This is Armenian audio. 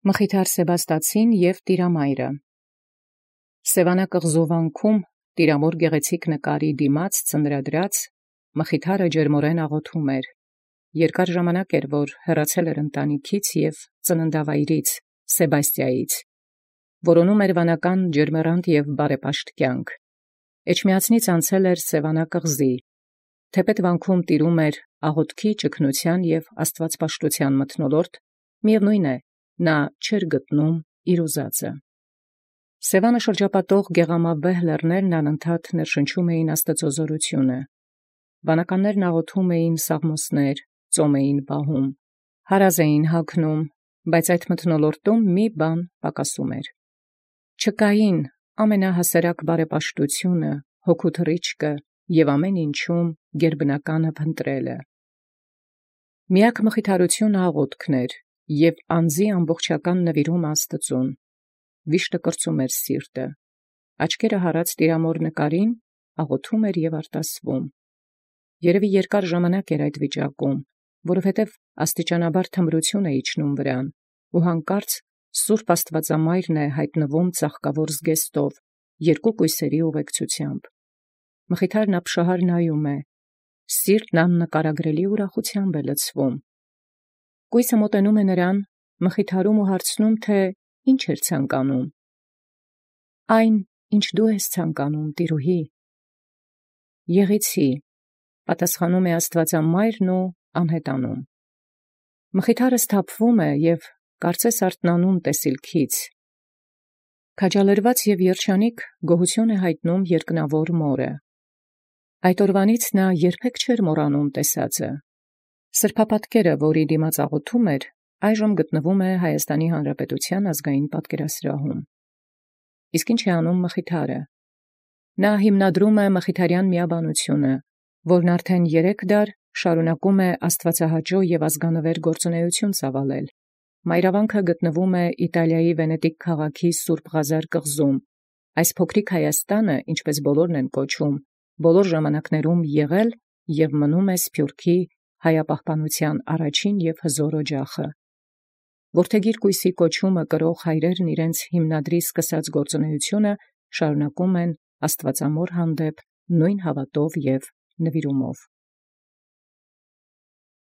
Մխիթար Սեբաստացին և Տիրամայրը։ Սևանակղզու վանքում տիրամոր գեղեցիկ նկարի դիմաց ծննդրած մխիթարը ջերմորեն աղոթում էր. երկար ժամանակ էր, որ հեռացել էր ընտանիքից և ծննդավայրից Սեբաստիայից, որոնում էր վանական ջերմեռանդ և բարեպաշտ կյանք։ Էջմիածնից անցել էր Սևանակղզի, թեպետ վանքում տիրում էր աղոթքի, ճգնության և աստվածպաշտության մթնոլորտ, միևնույն է, նա չէր գտնում իր ուզածը։ Սևանը շրջապատող գեղամավեհ լեռներն անընդհատ ներշնչում էին Աստծո զորությունը։ Վանականներն աղոթում էին սաղմոսներ, ծոմ էին պահում, հարազ էին հագնում, բայց այդ մթնոլորտում մի բան պակասում էր։ Չկային ամենահասարակ բարեպաշտությունը, հոգու թռիչքը և ամեն ինչում գերբնականը փնտրելը։ Միակ մխիթարությունը աղոթքն էր և անձի ամբողջական նվիրումը Աստծուն։ Վիշտը կրծում էր սիրտը, աչքերը հառած տիրամոր նկարին աղոթում էր և արտասվում։ Երևի երկար ժամանակ էր այդ վիճակում, որովհետև աստիճանաբար թմրություն է իջնում վրան, ու հանկարծ սուրբ Աստվածամայրն է հայտնվում ծաղկավոր զգեստով, երկու կույսերի ուղեկցությամբ։ Մխիթարն ապշահար նայում է, սիրտն աննկարագրելի ուրախությամբ է լցվում։ Կույսը մոտենում է նրան, մխիթարում ու հարցնում, թե ինչ էր ցանկանում։ Այն, ինչ դու ես ցանկանում, տիրուհի։ Եղեցի, պատասխանում է Աստվածամայրն ու անհետանում։ Մխիթարը սթափվում է և կարծես արթնանում տեսիլքից։ Քաջալերված և երջանիկ գոհություն է հայտնում երկնավոր մորը։ Այդ օրվանից նա երբեք չէր մոռանում տեսածը։ Սրբապատկերը, որի դիմաց աղոթում էր, այժմ գտնվում է Հայաստանի Հանրապետության ազգային պատկերասրահում։ Իսկ ինչ է անում մխիթարը։ Նա հիմնադրում է մխիթարյան միաբանությունը, որն արդեն 3 դար շարունակում է աստվածահաճո և ազգանվեր գործունեություն ծավալել։ Մայրավանքը գտնվում է Իտալիայի Վենետիկ քաղաքի Սուրբ Ղազար կղզում։ Այս փոքրիկ Հայաստանը, ինչպես բոլորն են կոչում, բոլոր ժամանակներում եղել և մնում է Սփյուռքի հայապահպանության առաջին և հզոր օջախը։ Որդեգիր կույսի կոչումը կրող հայրերն իրենց հիմնադրի սկսած գործունեությունը շարունակում են Աստվածամոր հանդեպ նույն հավատով և նվիրումով։